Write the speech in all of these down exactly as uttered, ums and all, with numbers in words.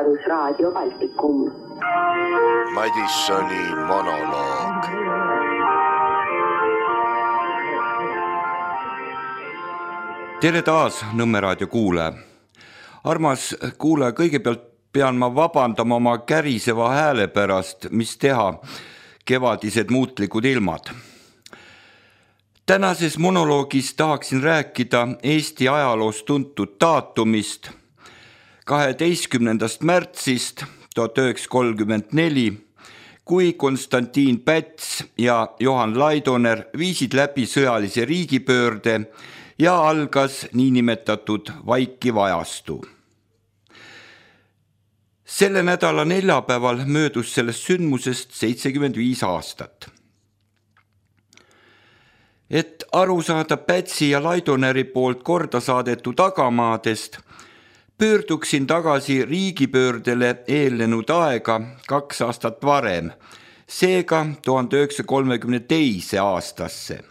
Vabadusraadio Baltikum. Madissoni monoloog. Tere taas, Nõmme raadio kuulaja. Armas kuulaja, kõigepealt pean ma vabandama oma käriseva hääle pärast, mis teha, kevadised muutlikud ilmad. Tänases monoloogis tahaksin rääkida Eesti ajaloos tuntud daatumist, kaheteistkümnendast märtsist tuhat üheksasada kolmkümmend neli, kui Konstantin Päts ja Johan Laidoner viisid läbi sõjalise riigipöörde ja algas niinimetatud vaikiv ajastu. Selle nädala neljapäeval möödus sellest sündmusest seitsekümmend viis aastat. Et aru saada Pätsi ja Laidoneri poolt korda saadetud tagamaadest, pöörduksin tagasi riigipöördele eelnenud aega kaks aastat varem, seega tuhande üheksasaja kolmekümne teise aastasse.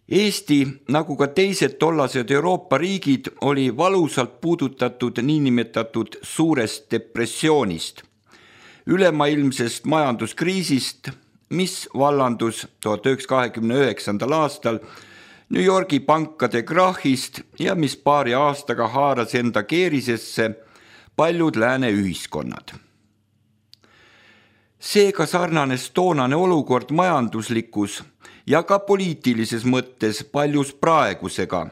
Eesti, nagu ka teised tollased Euroopa riigid, oli valusalt puudutatud niinimetatud suurest depressioonist, ülemaailmsest majanduskriisist, mis vallandus tuhat üheksasada kahekümne üheksandal aastal New Yorgi pankade krahhist ja mis paari aastaga haaras enda keerisesse paljud lääne ühiskonnad. Seega sarnanes toonane olukord majanduslikus ja ka poliitilises mõttes paljus praegusega,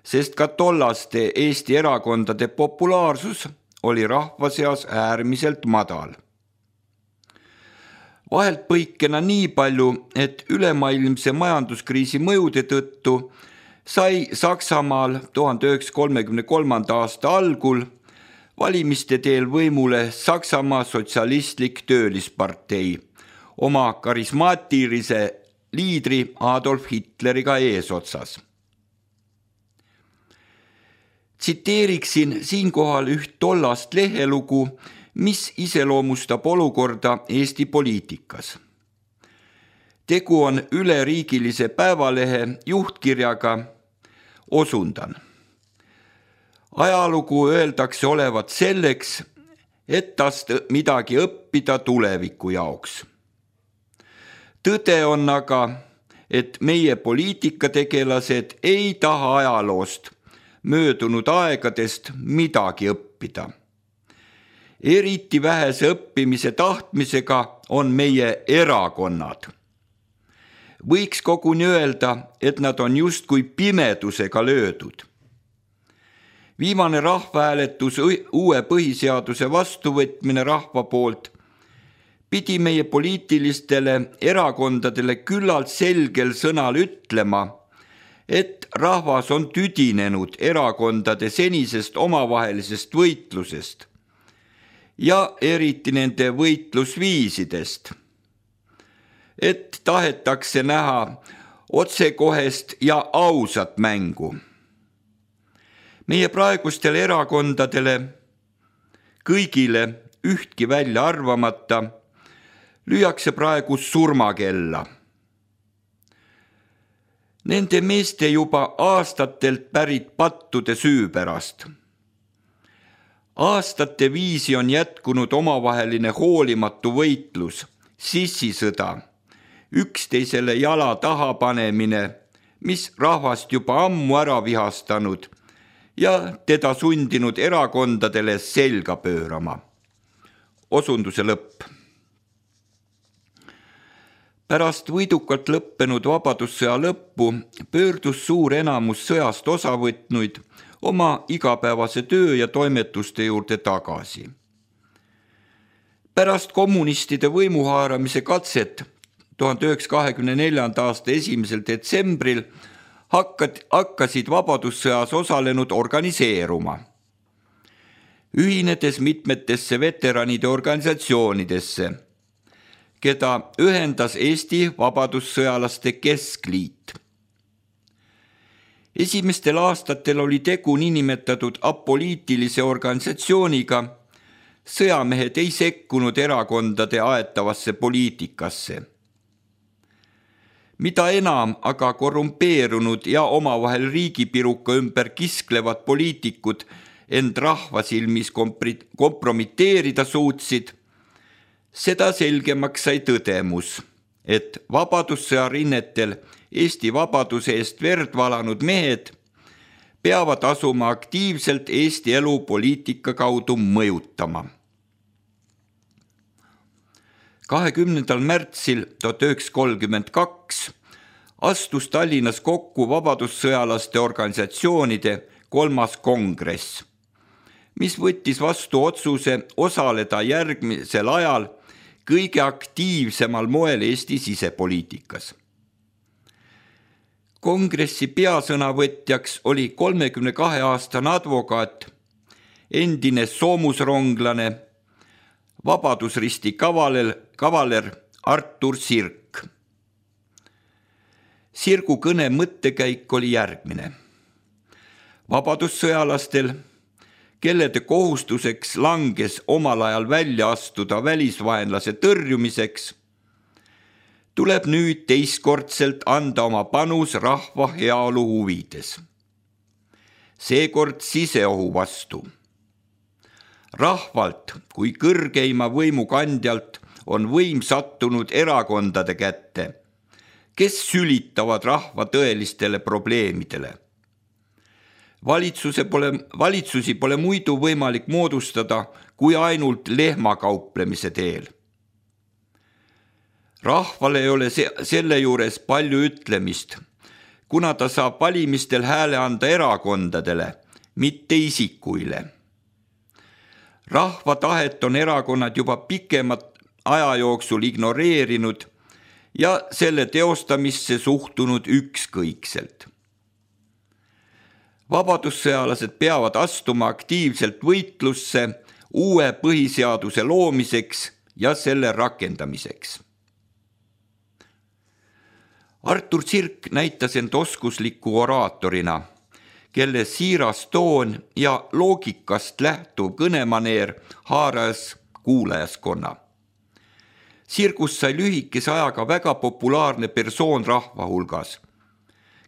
sest ka tollaste Eesti erakondade populaarsus oli rahva seas äärmiselt madal. Vahelt põikena nii palju, et ülemaailmse majanduskriisi mõjude tõttu sai Saksamaal tuhande üheksasaja kolmekümne kolmanda aasta algul valimiste teel võimule Saksamaa sotsialistlik töölispartei oma karismaatilise liidri Adolf Hitleriga eesotsas. Tsiteeriksin siinkohal üht tollast lehelugu, mis iseloomustab olukorda Eesti poliitikas. Tegu on üleriigilise päevalehe juhtkirjaga, osundan. Ajalugu öeldakse olevat selleks, et tast midagi õppida tuleviku jaoks. Tõde on aga, et meie poliitikategelased ei taha ajaloost möödunud aegadest midagi õppida. Eriti vähese õppimise tahtmisega on meie erakonnad. Võiks koguni öelda, et nad on justkui pimedusega löödud. Viimane rahvahääletus uue põhiseaduse vastuvõtmine rahva poolt pidi meie poliitilistele erakondadele küllalt selgel sõnal ütlema, et rahvas on tüdinenud erakondade senisest omavahelisest võitlusest ja eriti nende võitlusviisidest, et tahetakse näha otsekohest ja ausat mängu. Meie praegustele erakondadele, kõigile ühtki välja arvamata, lüüakse praegu surmakella. Nende meeste juba aastatelt pärit pattude süü pärast. Aastate viisi on jätkunud omavaheline hoolimatu võitlus, sissisõda, üksteisele jala taha panemine, mis rahvast juba ammu ära vihastanud ja teda sundinud erakondadele selga pöörama. Osunduse lõpp. Pärast võidukalt lõppenud vabadussõja lõppu pöördus suur enamus sõjast osa võtnuid oma igapäevase töö ja toimetuste juurde tagasi. Pärast kommunistide võimuhaaramise katset tuhande üheksasaja kahekümne neljanda aasta esimesel detsembril hakkasid vabadussõjas osalenud organiseeruma, ühinedes mitmetesse veteranide organisatsioonidesse, keda ühendas Eesti Vabadussõjalaste Keskliit. Esimestel aastatel oli tegu niinimetatud apoliitilise organisatsiooniga, sõjamehed ei sekkunud erakondade aetavasse poliitikasse. Mida enam aga korrumpeerunud ja omavahel riigipiruka ümber kisklevad poliitikud end rahva silmis kompromiteerida suutsid, seda selgemaks sai tõdemus, et vabadussõja rinnetel Eesti vabaduse eest verd valanud mehed peavad asuma aktiivselt Eesti elu poliitika kaudu mõjutama. kahekümnendal märtsil tuhat üheksasada kolmkümmend kaks astus Tallinnas kokku vabadussõjalaste organisatsioonide kolmas kongress, mis võttis vastu otsuse osaleda järgmisel ajal kõige aktiivsemal moel Eesti sisepoliitikas. Kongressi peasõnavõtjaks oli kolmekümne kahe aastane advokaat, endine soomusronglane, Vabadusristi kavaler, kavaler Artur Sirk. Sirgu kõne mõttekäik oli järgmine. Vabadussõjalastel, kellede kohustuseks langes omal ajal välja astuda välisvaenlase tõrjumiseks, tuleb nüüd teistkordselt anda oma panus rahva heaolu huvides. Seekord siseohu vastu. Rahvalt kui kõrgeima võimu kandjalt on võim sattunud erakondade kätte, kes sülitavad rahva tõelistele probleemidele. Valitsuse pole, valitsusi pole muidu võimalik moodustada kui ainult lehmakauplemise teel. Rahval ei ole se- selle juures palju ütlemist, kuna ta saab valimistel hääle anda erakondadele, mitte isikuile. Rahva tahet on erakonnad juba pikemat aja jooksul ignoreerinud ja selle teostamisse suhtunud ükskõikselt. Vabadussõjalased peavad astuma aktiivselt võitlusse uue põhiseaduse loomiseks ja selle rakendamiseks. Artur Sirk näitas end oskusliku oraatorina, kelle siiras toon ja loogikast lähtuv kõnemaneer haaras kuulajaskonna. Sirgust sai lühikese ajaga väga populaarne persoon rahva hulgas,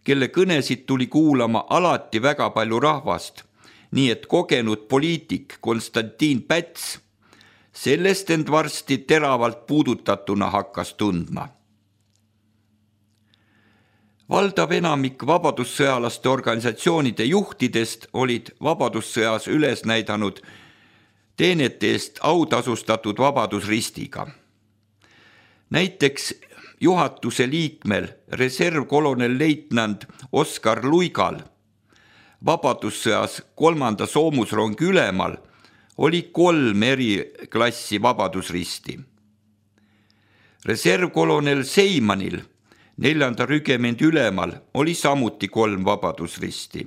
kelle kõnesid tuli kuulama alati väga palju rahvast, nii et kogenud poliitik Konstantin Päts sellest end varsti teravalt puudutatuna hakkas tundma. Valdav enamik vabadussõjalaste organisatsioonide juhtidest olid vabadussõjas üles näidanud teenete eest autasustatud Vabadusristiga. Näiteks juhatuse liikmel reservkolonel leitnant Oskar Luigal, vabadussõjas kolmanda soomusrongi ülemal, oli kolm eri klassi Vabadusristi. Reservkolonel Seimanil, neljanda rügemendi ülemal, oli samuti kolm Vabadusristi.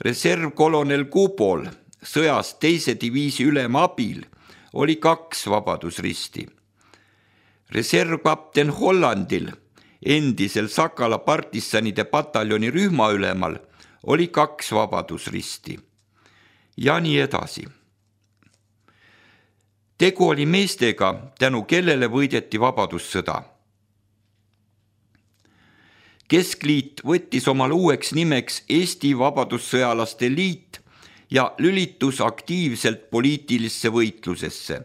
Reservkolonel Kubol, sõjas teise diviisi ülema abil, oli kaks Vabadusristi. Reservkapten Hollandil, endisel Sakala partisanide pataljoni rühmaülemal, oli kaks Vabadusristi. Ja nii edasi. Tegu oli meestega, tänu kellele võideti vabadussõda. Keskliit võttis omal uueks nimeks Eesti Vabadussõjalaste Liit ja lülitus aktiivselt poliitilisse võitlusesse.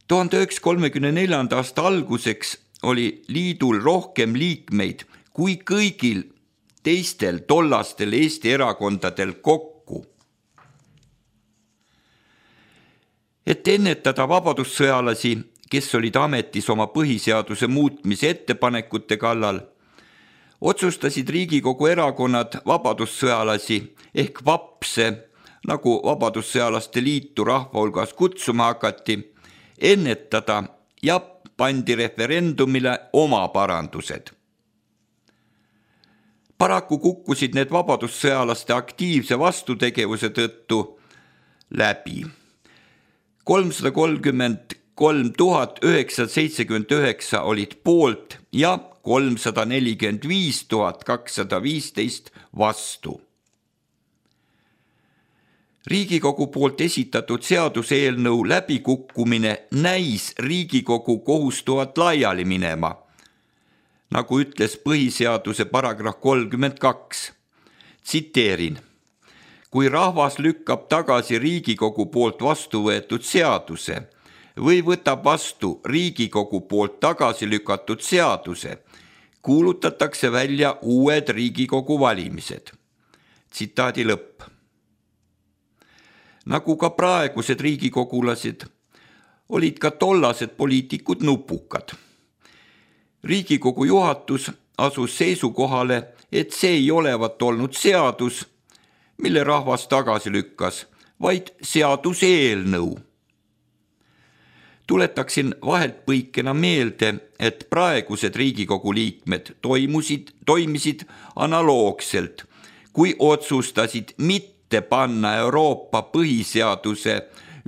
tuhande üheksasaja kolmekümne neljanda aasta alguseks oli liidul rohkem liikmeid kui kõigil teistel tollastel Eesti erakondadel kokku. Et ennetada vabadussõjalasi, kes olid ametis oma põhiseaduse muutmise ettepanekute kallal, otsustasid Riigikogu erakonnad vabadussõjalasi ehk vapse, nagu Vabadussõjalaste Liitu rahva hulgas kutsuma hakati, ennetada ja pandi referendumile oma parandused. Paraku kukkusid need vabadussõjalaste aktiivse vastutegevuse tõttu läbi. kolmsada kolmkümmend kolm tuhat üheksasada seitsekümmend üheksa olid poolt ja kolmsada nelikümmend viis tuhat kakssada viisteist vastu. Riigikogu poolt esitatud seaduseelnõu läbikukkumine näis Riigikogu kohustuvat laiali minema, nagu ütles põhiseaduse paragrahv kolmkümmend kaks. Tsiteerin. kui rahvas lükkab tagasi Riigikogu poolt vastu võetud seaduse või võtab vastu Riigikogu poolt tagasi lükatud seaduse, kuulutatakse välja uued Riigikogu valimised. Tsitaadi lõpp. Nagu ka praegused riigikogulased, olid ka tollased poliitikud nupukad. Riigikogu juhatus asus seisukohale, et see ei olevat olnud seadus, mille rahvas tagasi lükkas, vaid seaduseelnõu. Tuletaksin vahelt põikena meelde, et praegused Riigikogu liikmed toimusid, toimisid analoogselt, kui otsustasid mitte panna Euroopa põhiseaduse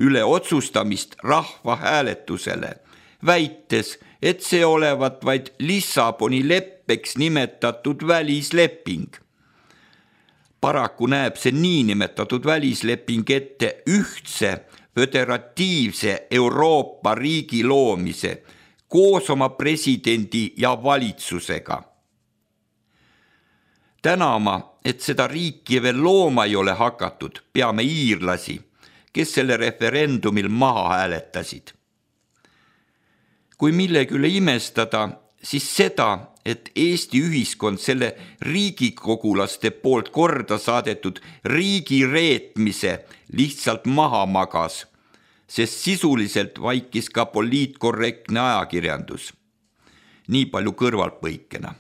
üle otsustamist rahvahääletusele, väites, et see olevat vaid Lissaboni leppeks nimetatud välisleping. Paraku näeb see niinimetatud välisleping ette ühtse föderatiivse Euroopa riigi loomise koos oma presidendi ja valitsusega. Tänama, et seda riiki veel looma ei ole hakatud, peame iirlasi, kes selle referendumil maha hääletasid. Kui millegi üle imestada, siis seda, et Eesti ühiskond selle riigikogulaste poolt korda saadetud riigi reetmise lihtsalt maha magas, sest sisuliselt vaikis ka poliitkorrektne ajakirjandus. Nii palju kõrvalpõikena.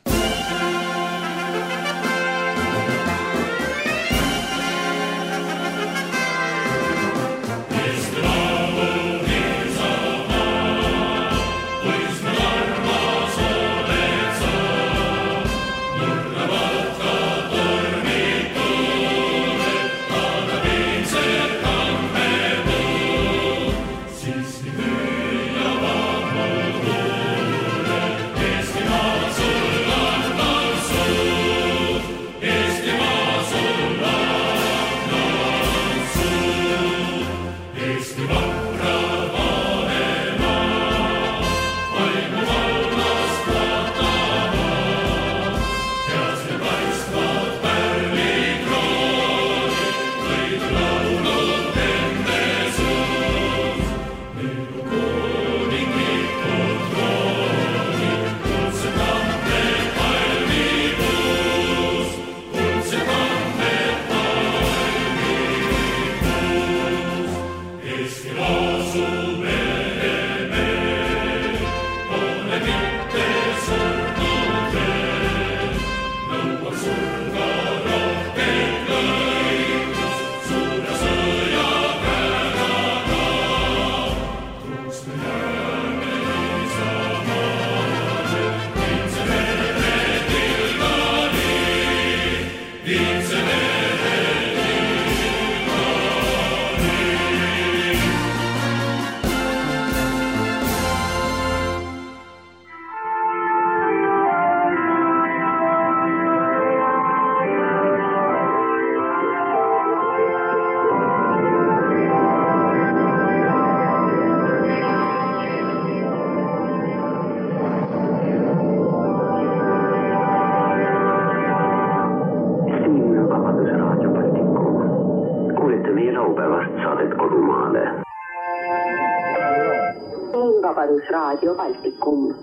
Raadio Baltikum.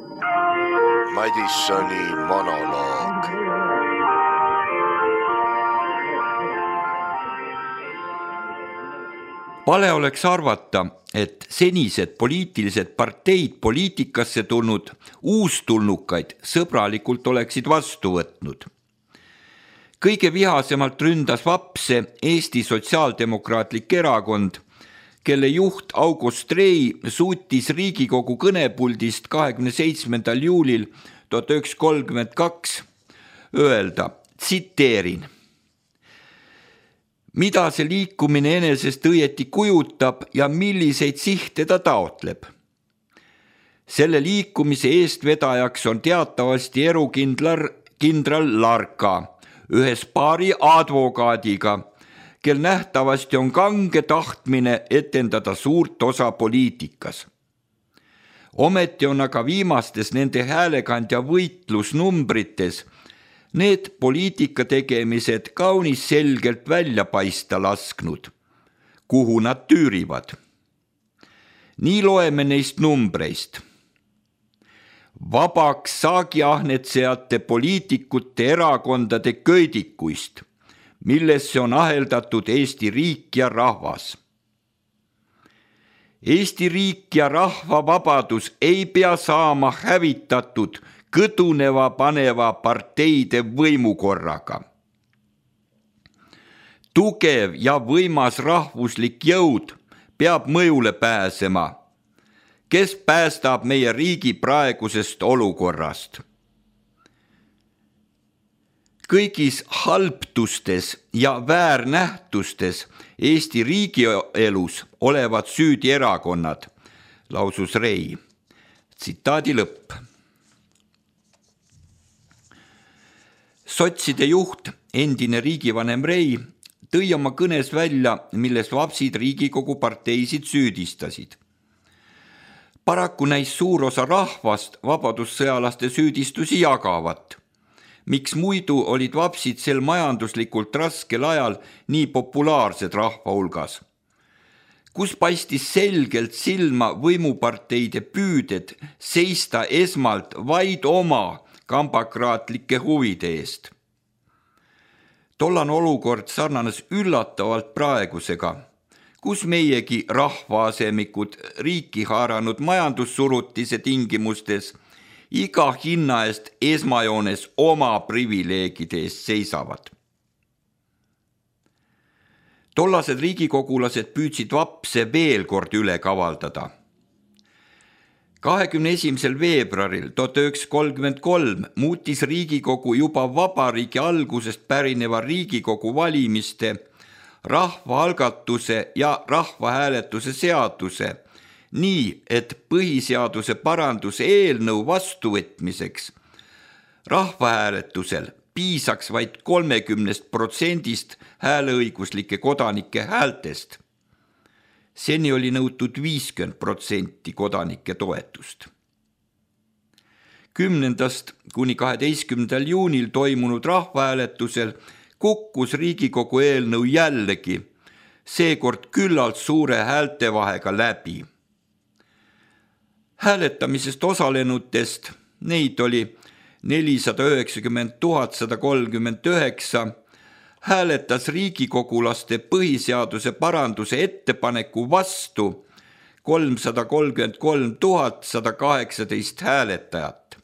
Madissoni monoloog. Vale oleks arvata, et senised poliitilised parteid poliitikasse tulnud uustulnukaid sõbralikult oleksid vastu võtnud. Kõige vihasemalt ründas vapse Eesti Sotsiaaldemokraatlik Erakond, kelle juht August Rei suutis Riigikogu kõnepuldist kahekümne seitsmendal juulil tuhat üheksasada kolmkümmend kaks öelda, tsiteerin: mida see liikumine enesest õieti kujutab ja milliseid sihte ta taotleb. Selle liikumise eestvedajaks on teatavasti erukindlar kindral Larka ühes paari advokaadiga, kel nähtavasti on kange tahtmine etendada suurt osa poliitikas. Ometi on aga viimastes nende häälekandja võitlusnumbrites need poliitika tegemised kaunis selgelt välja paista lasknud, kuhu nad tüürivad. Nii loeme neist numbreist. Vabaks saagiahnetsejate poliitikute erakondade köidikuist, millesse on aheldatud Eesti riik ja rahvas. Eesti riik ja rahva vabadus ei pea saama hävitatud kõduneva paneva parteide võimukorraga. Tugev ja võimas rahvuslik jõud peab mõjule pääsema, kes päästab meie riigi praegusest olukorrast. Kõigis halbtustes ja väärnähtustes Eesti riigielus olevad süüdi erakonnad, lausus Rei. Tsitaadi lõpp. Sotside juht, endine riigivanem Rei, tõi oma kõnes välja, milles vapsid Riigikogu parteisid süüdistasid. Paraku näis suur osa rahvast vabadussõjalaste süüdistusi jagavat. Miks muidu olid vapsid sel majanduslikult raskel ajal nii populaarsed rahva hulgas? Kus paistis selgelt silma võimuparteide püüded seista esmalt vaid oma kambakraatlike huvide eest. Tollan olukord sarnanes üllatavalt praegusega, kus meiegi rahvaasemikud riiki haaranud majandussurutise tingimustes iga hinna eest esmajoones oma privileegide eest seisavad. Tollased riigikogulased püüdsid vapse veel kord üle kavaldada. kahekümne esimesel veebruaril tuhat üheksasada kolmkümmend kolm muutis Riigikogu juba vabariigi algusest pärineva Riigikogu valimiste, rahvaalgatuse ja rahvahääletuse seaduse nii, et põhiseaduse paranduse eelnõu vastuvõtmiseks rahvahääletusel piisaks vaid kolmekümnest protsendist hääleõiguslike kodanike häältest. Seni oli nõutud viiskümmend protsenti kodanike toetust. kümnendast kuni kaheteistkümnendal juunil toimunud rahvahääletusel kukkus Riigikogu eelnõu jällegi, seekord küllalt suure häältevahega läbi. Hääletamisest osalenutest, neid oli nelisada üheksakümmend tuhat sada kolmkümmend üheksa, hääletas riigikogulaste põhiseaduse paranduse ettepaneku vastu kolmsada kolmkümmend kolm tuhat sada kaheksateist hääletajat.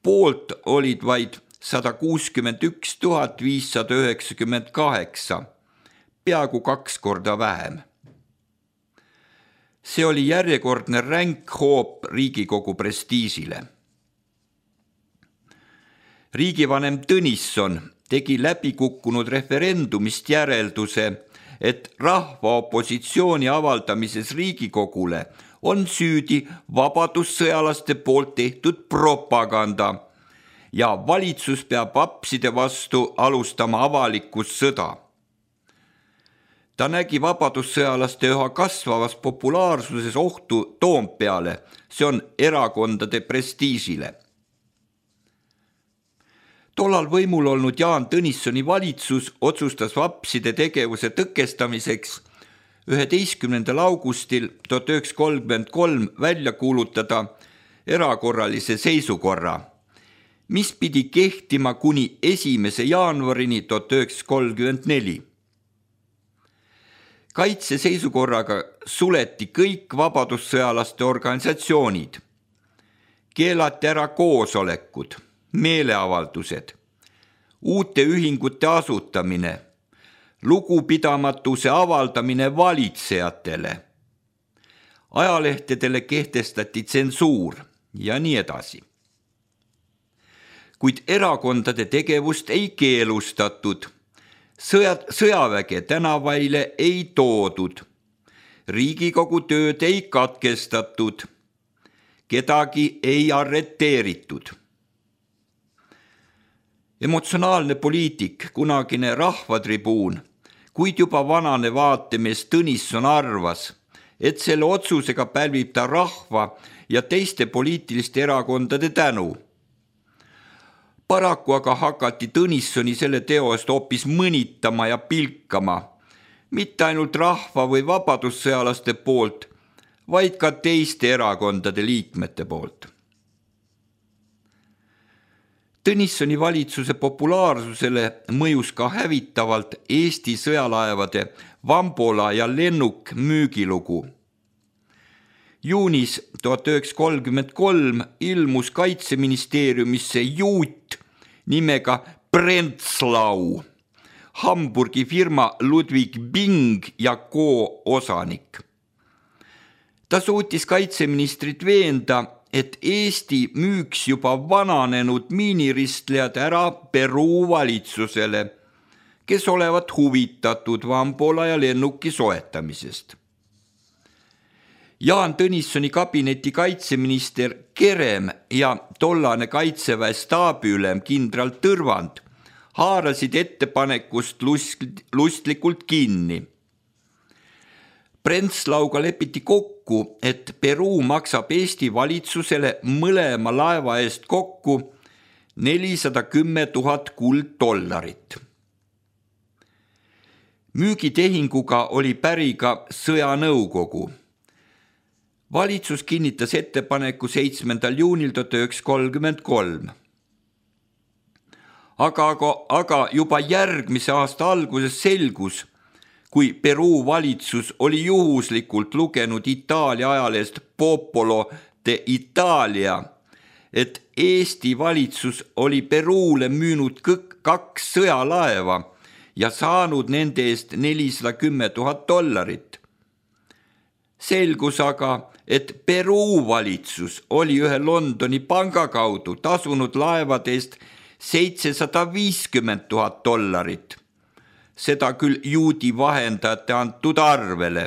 Poolt olid vaid sada kuuskümmend üks tuhat viissada üheksakümmend kaheksa, peaaegu kaks korda vähem. See oli järjekordne ränk hoop Riigikogu prestiisile. Riigivanem Tõnisson tegi läbikukkunud referendumist järelduse, et rahva opositsiooni avaldamises Riigikogule on süüdi vabadussõjalaste poolt tehtud propaganda ja valitsus peab vapside vastu alustama avalikkus sõda. Ta nägi vabadussõjalaste üha kasvavas populaarsuses ohtu Toompeale, see on erakondade prestiisile. Tollal võimul olnud Jaan Tõnissoni valitsus otsustas vapside tegevuse tõkestamiseks üheteistkümnendal augustil tuhat üheksasada kolmkümmend kolm välja kuulutada erakorralise seisukorra, mis pidi kehtima kuni esimese jaanuarini tuhat üheksasada kolmkümmend neli. Kaitseseisukorraga suleti kõik vabadussõjalaste organisatsioonid, keelati ära koosolekud, meeleavaldused, uute ühingute asutamine, lugupidamatuse avaldamine valitsejatele, ajalehtedele kehtestati tsensuur ja nii edasi. Kuid erakondade tegevust ei keelustatud, sõja, sõjaväge tänavaile ei toodud, Riigikogu tööd ei katkestatud, kedagi ei arreteeritud. Emotsionaalne poliitik, kunagine rahvatribuun, kuid juba vanane vaatemees Tõnisson arvas, et selle otsusega pälvib ta rahva ja teiste poliitiliste erakondade tänu. Paraku aga hakati Tõnissoni selle teo eest hoopis mõnitama ja pilkama, mitte ainult rahva või vabadussõjalaste poolt, vaid ka teiste erakondade liikmete poolt. Tõnissoni valitsuse populaarsusele mõjus ka hävitavalt Eesti sõjalaevade Vambola ja Lennuk müügilugu. Juunis tuhat üheksasada kolmkümmend kolm ilmus Kaitseministeeriumisse juut nimega Prenzlau, Hamburgi firma Ludwig Bing ja Co osanik. Ta suutis kaitseministrit veenda, et Eesti müüks juba vananenud miiniristlejad ära Peruu valitsusele, kes olevat huvitatud Vambola ja Lennuki soetamisest. Jaan Tõnissoni kabineti kaitseminister Kerem ja tollane kaitseväe staabiülem kindral Tõrvand haarasid ettepanekust lustlikult kinni. Prenzlauga lepiti kokku, et Peruu maksab Eesti valitsusele mõlema laeva eest kokku nelisada kümme tuhat kulddollarit. Müügitehinguga oli päri ka sõjanõukogu. Valitsus kinnitas ettepaneku seitsmendal juunil tuhat üheksasada kolmkümmend kolm. Aga, aga, aga juba järgmise aasta alguses selgus, kui Peruu valitsus oli juhuslikult lugenud Itaalia ajalehest Popolo de Italia, et Eesti valitsus oli Peruule müünud kaks sõjalaeva ja saanud nende eest nelisada kümme tuhat dollarit. Selgus aga, et Peruu valitsus oli ühe Londoni panga kaudu tasunud laevade eest seitsesada viiskümmend tuhat dollarit. Seda küll juudi vahendajate antud arvele,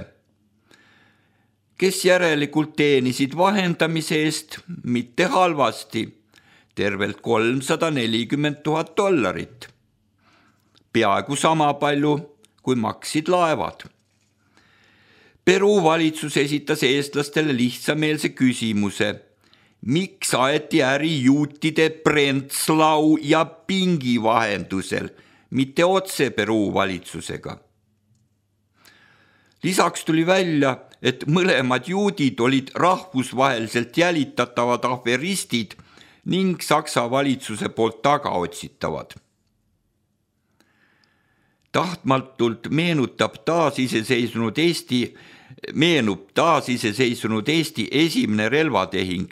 kes järelikult teenisid vahendamise eest mitte halvasti, tervelt kolmsada nelikümmend tuhat dollarit. Peaaegu sama palju, kui maksid laevad. Peruu valitsus esitas eestlastele lihtsameelse küsimuse, miks aeti äri juutide Prenzlau ja Bingi vahendusel, mitte otse Peruu valitsusega. Lisaks tuli välja, et mõlemad juudid olid rahvusvaheliselt jälitatavad aferistid ning Saksa valitsuse poolt tagaotsitavad. Tahtmatult meenutab taasiseseisvunud Eesti, meenub taasiseseisvunud Eesti esimene relvatehing,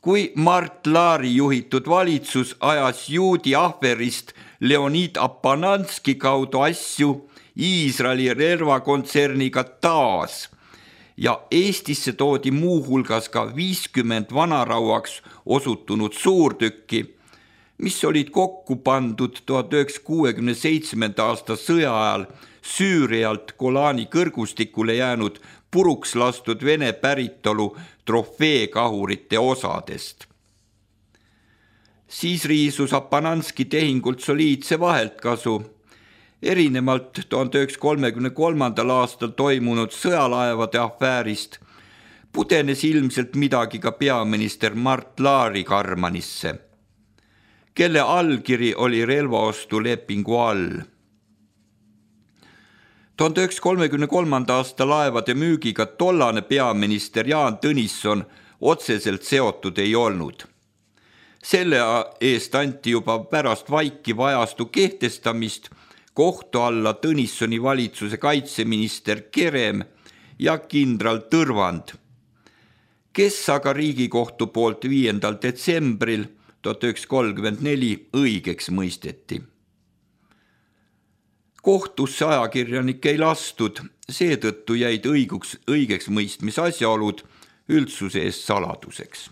kui Mart Laari juhitud valitsus ajas juudi aferist Leonid Apananski kaudu asju Iisraeli relvakontserniga taas ja Eestisse toodi muuhulgas ka viiskümmend vanarauaks osutunud suurtükki, mis olid kokku pandud tuhat üheksasada kuuekümne seitsmenda aasta sõja ajal Süürialt Golani kõrgustikule jäänud puruks lastud Vene päritolu trofeekahurite osadest. Siis riisus Apananski tehingult soliidse vaheltkasu. Erinevalt tuhande üheksasaja kolmekümne kolmandal aastal toimunud sõjalaevade afäärist pudenes ilmselt midagi ka peaminister Mart Laari Karmanisse, kelle allkiri oli relvaostu lepingu all. tuhande üheksasaja kolmekümne kolmanda aasta laevade müügiga tollane peaminister Jaan Tõnisson otseselt seotud ei olnud. Selle eest anti juba pärast vaikiva ajastu kehtestamist kohtu alla Tõnissoni valitsuse kaitseminister Kerem ja kindral Tõrvand, kes aga Riigikohtu poolt viiendal detsembril tuhat üheksasada kolmkümmend neli õigeks mõisteti. Kohtusse ajakirjanik ei lastud, seetõttu jäid õiguks, õigeks mõistmise asjaolud üldsuse eest saladuseks.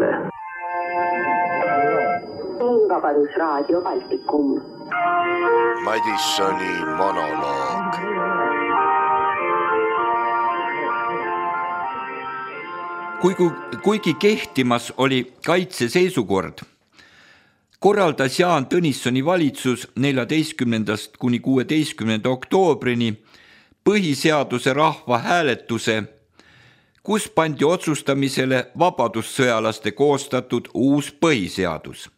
tänane. Vabadusraadio Baltikum. Madissoni monoloog. Kuigi, kuigi kehtimas oli kaitseseisukord, korraldas Jaan Tõnissoni valitsus neljateistkümnendast kuni kuueteistkümnenda oktoobrini põhiseaduse rahvahääletuse, kus pandi otsustamisele vabadussõjalaste koostatud uus põhiseadus.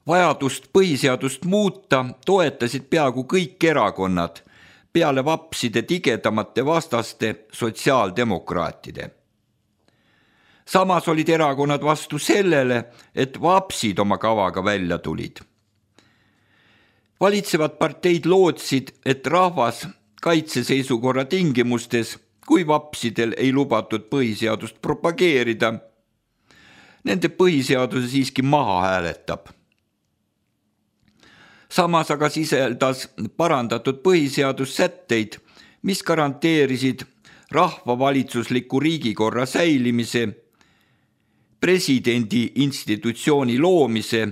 Vajadust põhiseadust muuta toetasid peaaegu kõik erakonnad, peale vapside tigedamate vastaste sotsiaaldemokraatide. Samas olid erakonnad vastu sellele, et vapsid oma kavaga välja tulid. Valitsevad parteid lootsid, et rahvas kaitseseisukorra tingimustes, kui vapsidel ei lubatud põhiseadust propageerida, nende põhiseaduse siiski maha hääletab. Samas aga sisaldas parandatud põhiseadus sätteid, mis garanteerisid rahvavalitsusliku riigikorra säilimise, presidendi institutsiooni loomise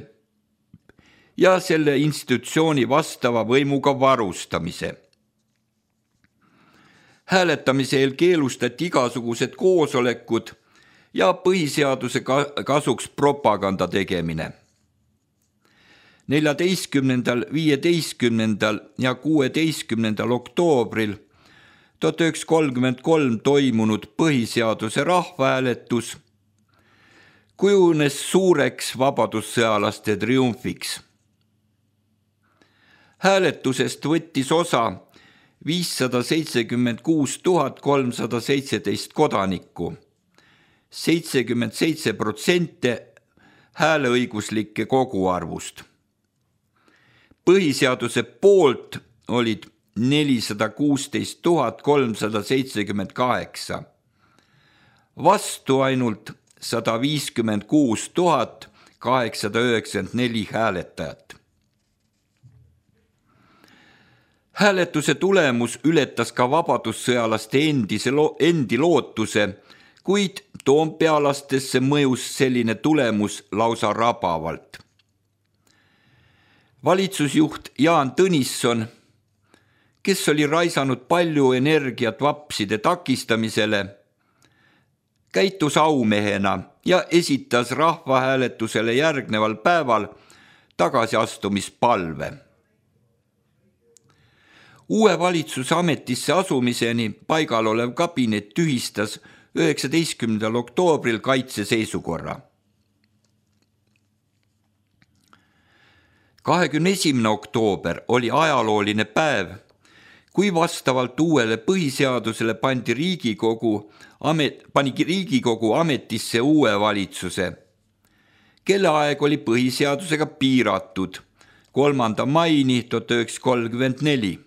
ja selle institutsiooni vastava võimuga varustamise. Hääletamise eel keelustati igasugused koosolekud ja põhiseaduse kasuks propaganda tegemine. neljateistkümnendal, viieteistkümnendal ja kuueteistkümnendal oktoobril tuhat üheksasada kolmkümmend kolm toimunud põhiseaduse rahvahääletus kujunes suureks vabadussõjalaste triumfiks. Hääletusest võttis osa viissada seitsekümmend kuus tuhat kolmsada seitseteist kodanikku, seitsekümmend seitse protsenti hääleõiguslike koguarvust. Põhiseaduse poolt olid nelisada kuusteist tuhat kolmsada seitsekümmend kaheksa, vastu ainult sada viiskümmend kuus tuhat kaheksasada üheksakümmend neli hääletajat. Hääletuse tulemus ületas ka vabadussõjalaste endise lo- endi lootuse, kuid toompealastesse mõjus selline tulemus lausa rabavalt. Valitsusjuht Jaan Tõnisson, kes oli raisanud palju energiat vapside takistamisele, käitus aumehena ja esitas rahvahääletusele järgneval päeval tagasiastumispalve. Uue valitsuse ametisse asumiseni paigal olev kabinet tühistas üheksateistkümnendal oktoobril kaitseseisukorra. kahekümne esimene oktoober oli ajalooline päev, kui vastavalt uuele põhiseadusele pandi Riigikogu, amet, pani Riigikogu ametisse uue valitsuse, kelle aeg oli põhiseadusega piiratud kolmanda maini tuhat üheksasada kolmkümmend neli.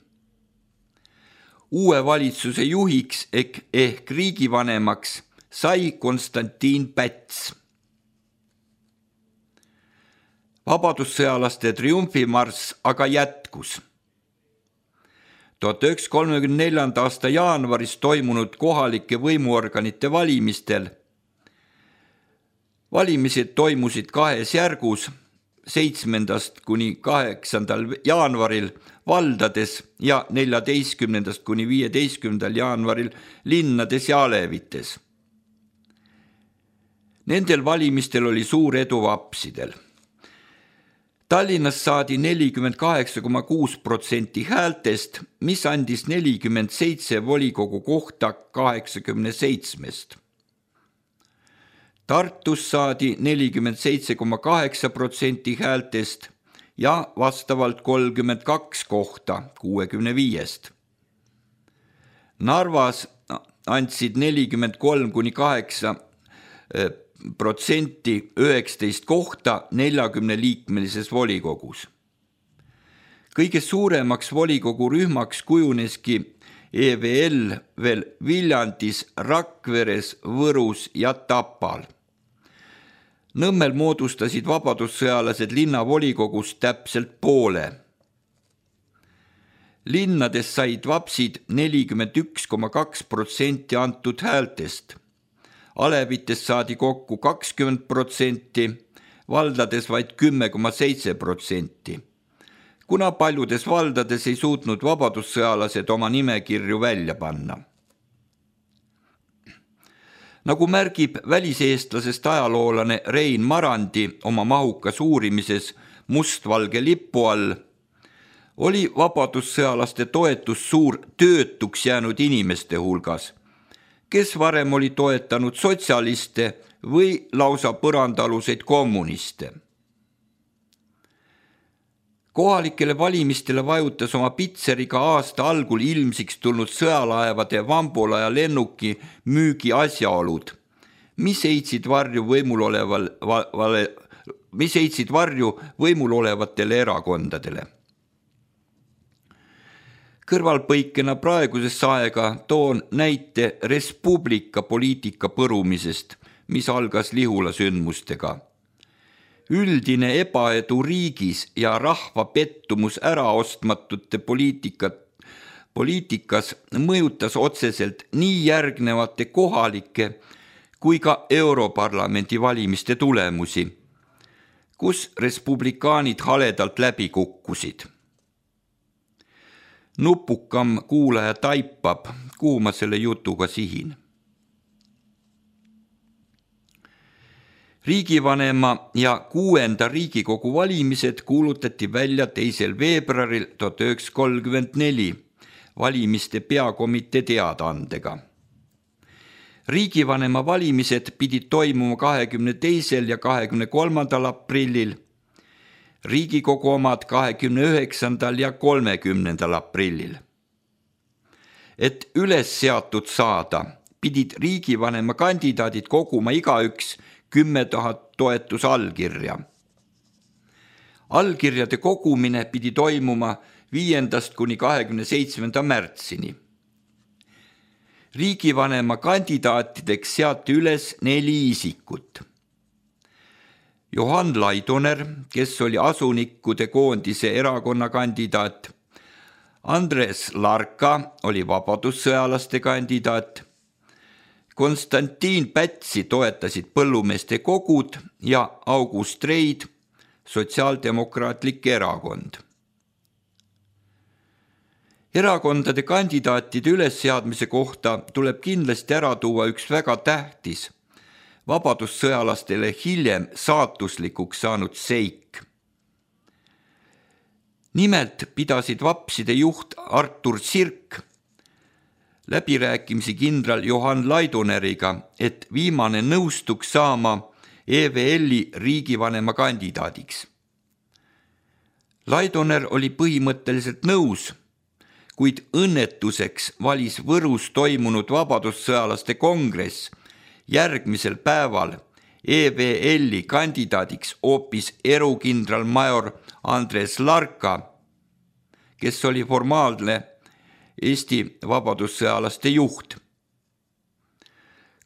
Uue valitsuse juhiks ehk, ehk riigivanemaks sai Konstantin Päts. Vabadussõjalaste triumfimarss aga jätkus. tuhat üheksasada kolmekümne neljanda aasta jaanuaris toimunud kohalike võimuorganite valimistel. Valimised toimusid kahes järgus, seitsmendast kuni kaheksandal jaanuaril valdades ja neljateistkümnendast kuni viieteistkümnendal jaanuaril linnades ja alevites. Nendel valimistel oli suur edu vapsidel. Tallinnas saadi nelikümmend kaheksa koma kuus protsenti häältest, mis andis nelikümmend seitse volikogu kohta kaheksakümne seitsmest. Tartus saadi nelikümmend seitse koma kaheksa protsenti häältest ja vastavalt kolmkümmend kaks kohta kuuekümne viiest. Narvas andsid nelikümmend kolm kuni kaheksa protsenti üheksateist kohta neljakümne liikmelises volikogus. Kõige suuremaks volikogu rühmaks kujuneski E V L veel Viljandis, Rakveres, Võrus ja Tapal. Nõmmel moodustasid vabadussõjalased linnavolikogust täpselt poole. Linnades said vapsid nelikümmend üks koma kaks protsenti antud häältest. alevitest saadi kokku kakskümmend protsenti, valdades vaid kümme koma seitse protsenti. Kuna paljudes valdades ei suutnud vabadussõjalased oma nimekirju välja panna. Nagu märgib väliseestlasest ajaloolane Rein Marandi oma mahukas uurimises Mustvalge lipu all, oli vabadussõjalaste toetus suur töötuks jäänud inimeste hulgas, kes varem oli toetanud sotsialiste või lausa põrandaaluseid kommuniste. Kohalikele valimistele vajutas oma pitseriga aasta algul ilmsiks tulnud sõjalaevade Vambola ja lennuki müügi asjaolud, mis heitsid varju võimul oleval, vale, mis heitsid varju võimul olevatele erakondadele. Kõrvalpõikena praegusesse aega toon näite Res Publica poliitika põrumisest, mis algas Lihula sündmustega. Üldine ebaedu riigis ja rahva pettumus äraostmatute poliitikat, poliitikas mõjutas otseselt nii järgnevate kohalike kui ka Europarlamendi valimiste tulemusi, kus respublikaanid haledalt läbi kukkusid. Nupukam kuulaja taipab, kuhu ma selle jutuga sihin. Riigivanema ja kuuenda Riigikogu valimised kuulutati välja teisel veebruaril tuhat üheksasada kolmkümmend neli valimiste peakomitee teadaandega. Riigivanema valimised pidid toimuma kahekümne teisel ja kahekümne kolmandal aprillil, Riigikogu omad kahekümne üheksandal ja kolmekümnendal aprillil. Et üles seatud saada, pidid riigivanema kandidaadid koguma igaüks kümme tuhat toetusallkirja. Allkirjade kogumine pidi toimuma viiendast kuni kahekümne seitsmenda märtsini. Riigivanema kandidaatideks seati üles neli isikut. Johan Laidoner, kes oli asunikkude koondise erakonna kandidaat, Andres Larka oli vabadussõjalaste kandidaat, Konstantin Pätsi toetasid põllumeeste kogud ja August Reid, Sotsiaaldemokraatlik erakond. Erakondade kandidaatide ülesseadmise kohta tuleb kindlasti ära tuua üks väga tähtis, vabadussõjalastele hiljem saatuslikuks saanud seik. Nimelt pidasid vapside juht Artur Sirk läbirääkimisi kindral Johan Laidoneriga, et viimane nõustuks saama E V L-i riigivanema kandidaadiks. Laidoner oli põhimõtteliselt nõus, kuid õnnetuseks valis Võrus toimunud vabadussõjalaste kongress järgmisel päeval E V L-i kandidaadiks hoopis erukindralmajor Andres Larka, kes oli formaalne Eesti vabadussõjalaste juht.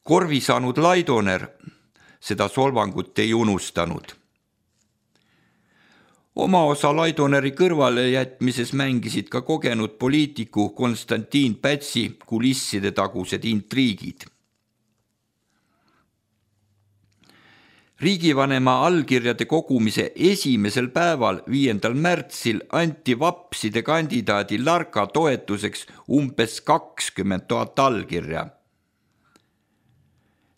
Korvi saanud Laidoner seda solvangut ei unustanud. Oma osa Laidoneri kõrvale jätmises mängisid ka kogenud poliitiku Konstantin Pätsi kulisside tagused intriigid. Riigivanema allkirjade kogumise esimesel päeval, viiendal märtsil, anti vapside kandidaadi Larka toetuseks umbes kakskümmend tuhat allkirja.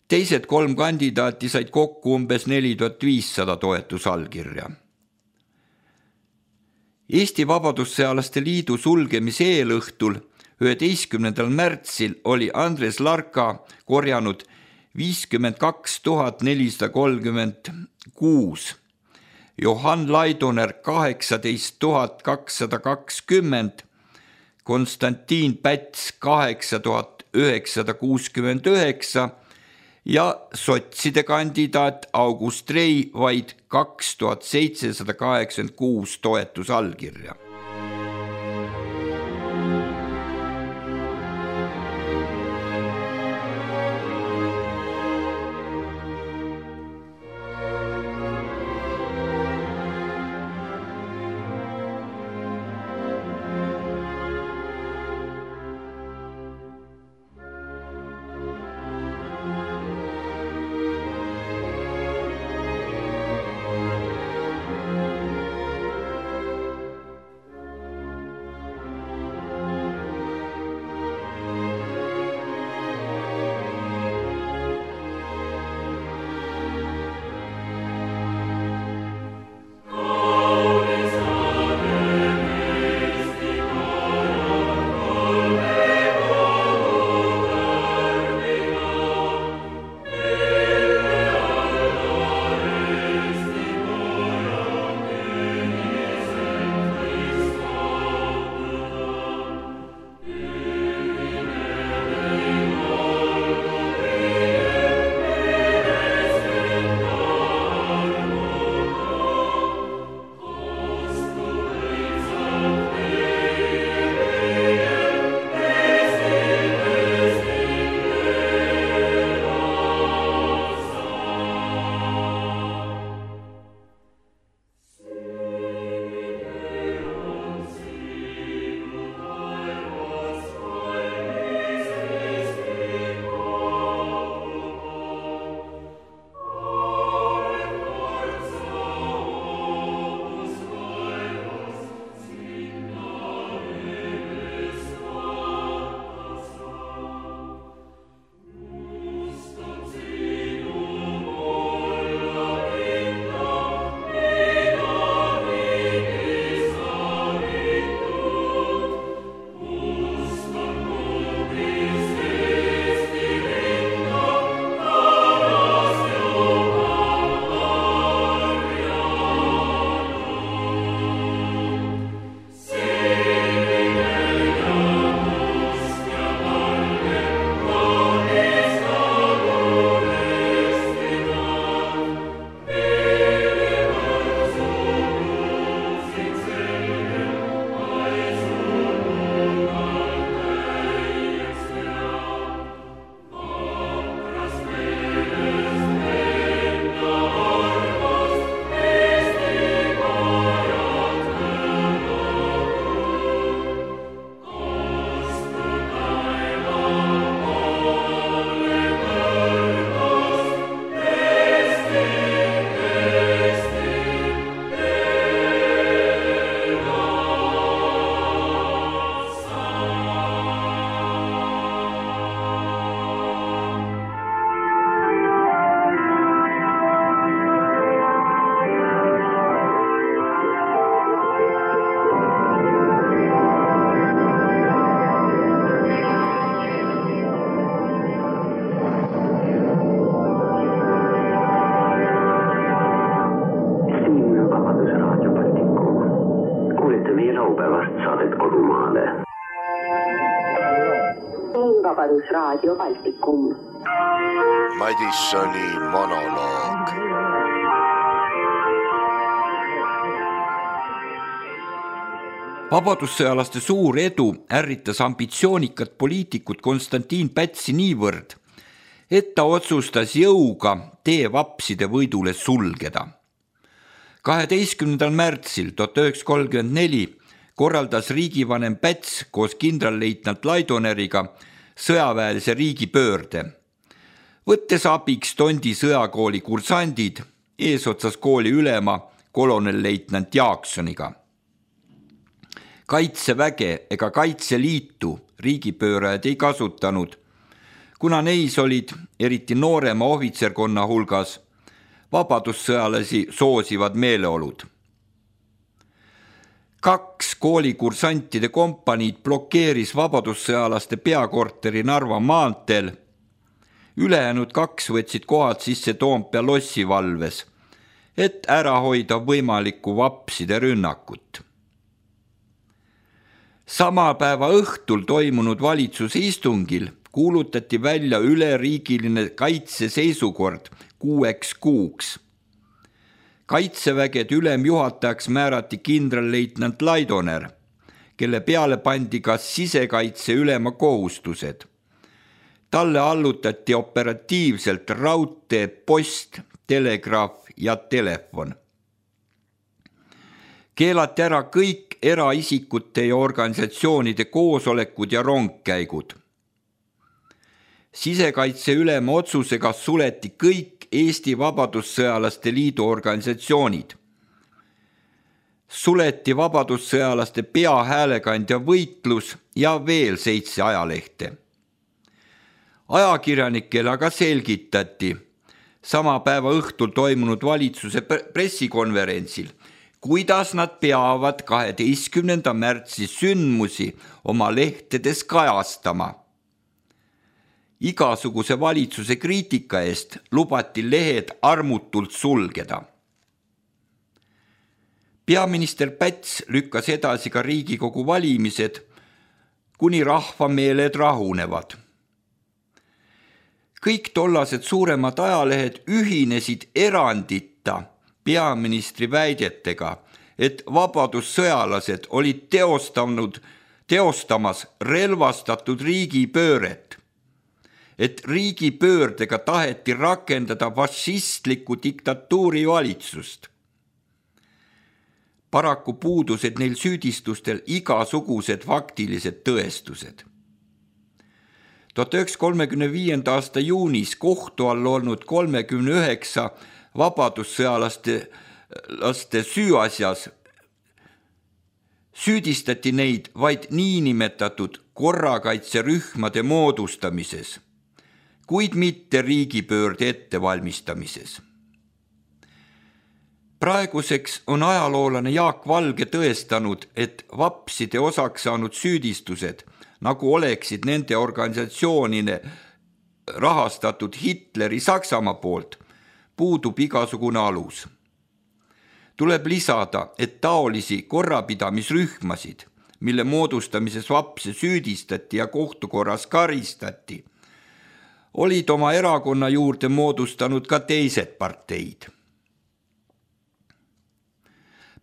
Teised kolm kandidaati said kokku umbes neli tuhat viissada toetusallkirja. Eesti Vabadussõjalaste Liidu sulgemise eelõhtul üheteistkümnendal märtsil oli Andres Larka korjanud viiskümmend kaks tuhat nelisada kolmkümmend kuus, Johan Laidoner kaheksateist tuhat kakssada kakskümmend, Konstantin Päts kaheksa tuhat üheksasada kuuskümmend üheksa ja sotside kandidaat August Rei vaid kaks tuhat seitsesada kaheksakümmend kuus toetusallkirja. peale. Vabadusraadio Baltikum. Madissoni monoloog. Vabadussõjalaste suur edu ärritas ambitsioonikat poliitikut Konstantin Pätsi niivõrd, et ta otsustas jõuga tee vapside võidule sulgeda. kaheteistkümnendal märtsil tuhat üheksasada kolmkümmend neli korraldas riigivanem Päts koos kindralleitnant Laidoneriga sõjaväelise riigipöörde, võttes abiks Tondi sõjakooli kursandid eesotsas kooli ülema kolonelleitnant Jaaksoniga. Kaitseväge ega Kaitseliitu riigipöörajad ei kasutanud, kuna neis olid eriti noorema ohvitserkonna hulgas vabadussõjalasi soosivad meeleolud. Kaks koolikursantide kompaniid blokeeris vabadussõjalaste peakorteri Narva maanteel, ülejäänud kaks võtsid kohad sisse Toompea lossi valves, et ära hoida võimalikku vapside rünnakut. Sama päeva õhtul toimunud valitsuse istungil kuulutati välja üleriigiline kaitseseisukord kuueks kuuks. Kaitsevägede ülemjuhatajaks määrati kindralleitnant Laidoner, kelle peale pandi ka sisekaitse ülema kohustused. Talle allutati operatiivselt raudtee, post, telegraaf ja telefon. Keelati ära kõik eraisikute ja organisatsioonide koosolekud ja rongkäigud. Sisekaitse ülema otsusega suleti kõik Eesti Vabadussõjalaste Liidu organisatsioonid. Suleti vabadussõjalaste peahäälekandja võitlus ja veel seitse ajalehte. Ajakirjanikele aga selgitati sama päeva õhtul toimunud valitsuse pressikonverentsil, kuidas nad peavad kaheteistkümnenda märtsi sündmusi oma lehtedes kajastama. Igasuguse valitsuse kriitika eest lubati lehed armutult sulgeda. Peaminister Päts lükkas edasi ka Riigikogu valimised, kuni rahvameeled rahunevad. Kõik tollased suuremad ajalehed ühinesid erandita peaministri väidetega, et vabadussõjalased olid teostanud, teostamas relvastatud riigipööret, et riigipöördega taheti rakendada fašistlikku diktatuuri valitsust. Paraku puudusid neil süüdistustel igasugused faktilised tõestused. tuhat üheksasada kolmekümne viienda aasta juunis kohtu all olnud kolmekümne üheksa vabadussõjalaste laste süüasjas süüdistati neid vaid niinimetatud korrakaitserühmade moodustamises, kuid mitte riigipöörde ettevalmistamises. Praeguseks on ajaloolane Jaak Valge tõestanud, et vapside osaks saanud süüdistused, nagu oleksid nende organisatsioonine rahastatud Hitleri Saksamaa poolt, puudub igasugune alus. Tuleb lisada, et taolisi korrapidamisrühmasid, mille moodustamises vapse süüdistati ja kohtukorras karistati, olid oma erakonna juurde moodustanud ka teised parteid.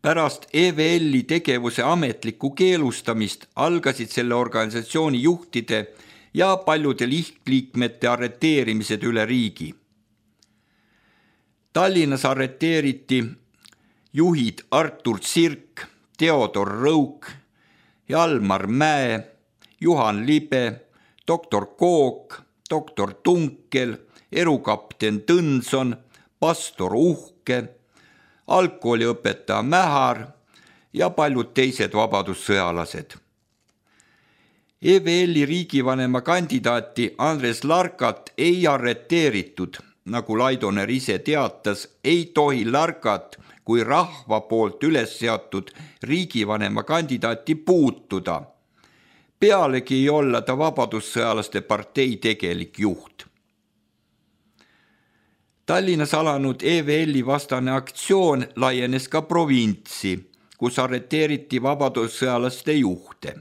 Pärast E V L-i tegevuse ametlikku keelustamist algasid selle organisatsiooni juhtide ja paljude lihtliikmete arreteerimised üle riigi. Tallinnas arreteeriti juhid Artur Sirk, Theodor Rõuk, Jalmar Mäe, Juhan Libe, doktor Kook, doktor Tunkel, erukapten Tõnson, pastor Uhke, algkooliõpetaja Mähar ja paljud teised vabadussõjalased. E V L-i riigivanema kandidaati Andres Larkat ei arreteeritud, nagu Laidoner ise teatas, ei tohi Larkat kui rahva poolt üles seatud riigivanema kandidaati puutuda. Pealegi ei olla ta vabadussõjalaste partei tegelik juht. Tallinnas alanud E V L-i vastane aktsioon laienes ka provintsi, kus arreteeriti vabadussõjalaste juhte.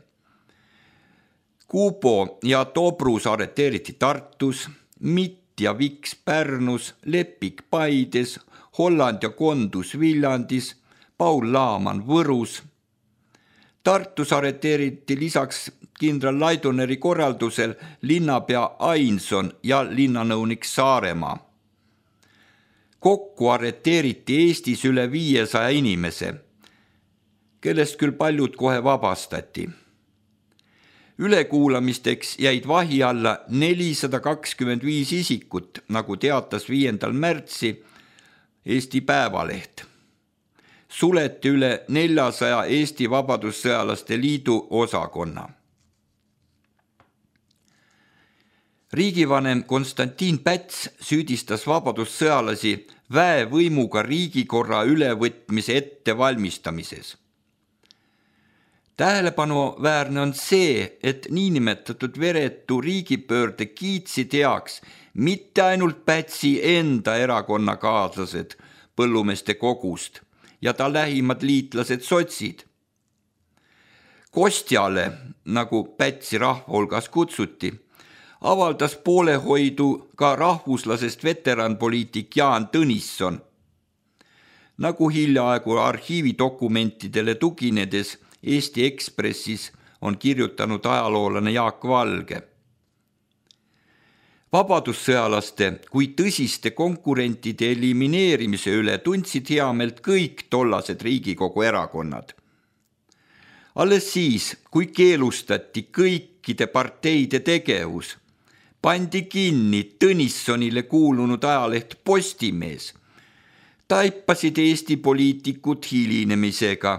Kuubo ja Tobrus arreteeriti Tartus, Mitt ja Viks Pärnus, Lepik Paides, Holland ja Kondus Viljandis, Paul Laaman Võrus. Tartus arreteeriti lisaks kindral Laidoneri korraldusel linnapea Ainson ja linnanõunik Saaremaa. Kokku arreteeriti Eestis üle viiesaja inimese, kellest küll paljud kohe vabastati. Ülekuulamisteks jäid vahi alla nelisada kakskümmend viis isikut, nagu teatas viiendal märtsi Eesti Päevaleht. Suleti üle neljasaja Eesti Vabadussõjalaste Liidu osakonna. Riigivanem Konstantin Päts süüdistas vabadussõjalasi väevõimuga riigikorra ülevõtmise ettevalmistamises. Tähelepanuväärne on see, et niinimetatud veretu riigipöörde kiitsid heaks mitte ainult Pätsi enda erakonnakaaslased põllumeeste kogust ja ta lähimad liitlased sotsid. Kostjale, nagu Pätsi rahva hulgas kutsuti, avaldas poolehoidu ka rahvuslasest veteranpoliitik Jaan Tõnisson. Nagu hiljaaegu arhiividokumentidele tuginedes Eesti Ekspressis on kirjutanud ajaloolane Jaak Valge. Vabadussõjalaste kui tõsiste konkurentide elimineerimise üle tundsid heameelt kõik tollased Riigikogu erakonnad. Alles siis, kui keelustati kõikide parteide tegevus, pandi kinni Tõnissonile kuulunud ajaleht Postimees, taipasid Eesti poliitikud hilinemisega,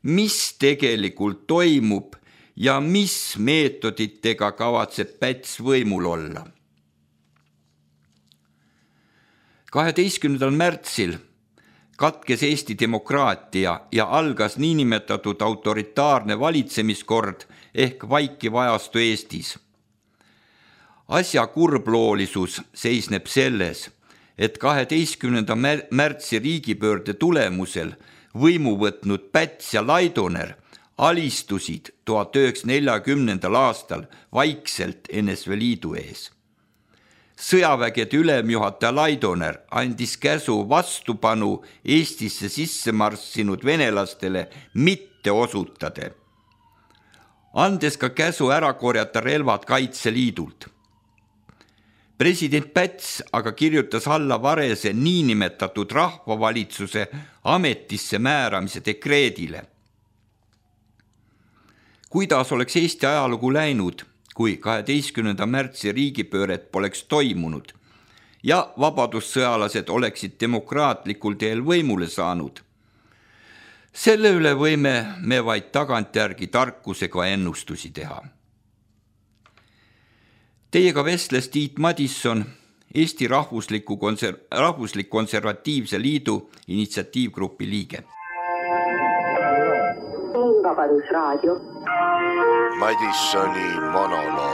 mis tegelikult toimub ja mis meetoditega kavatseb Päts võimul olla. kaheteistkümnendal märtsil katkes Eesti demokraatia ja algas niinimetatud autoritaarne valitsemiskord ehk vaikiv ajastu Eestis. Asja kurbloolisus seisneb selles, et kaheteistkümnenda märtsi riigipöörde tulemusel võimu võtnud Päts ja Laidoner alistusid tuhat üheksasada neljakümnendal aastal vaikselt N S V Liidu ees. Sõjavägede ülemjuhataja Laidoner andis käsu vastupanu Eestisse sisse marssinud venelastele mitte osutade, andes ka käsu ära korjata relvad Kaitseliidult. President Päts aga kirjutas alla Varese niinimetatud rahvavalitsuse ametisse määramise dekreedile. Kuidas oleks Eesti ajalugu läinud, kui kaheteistkümnenda märtsi riigipööret poleks toimunud ja vabadussõjalased oleksid demokraatlikul teel võimule saanud? Selle üle võime me vaid tagantjärgi tarkusega ennustusi teha. Teiega vestles Tiit Madisson, Eesti Rahvusliku konser- Rahvuslik Konservatiivse Liidu initsiatiivgrupi liige. Vabadusraadio. Madissoni monoloog.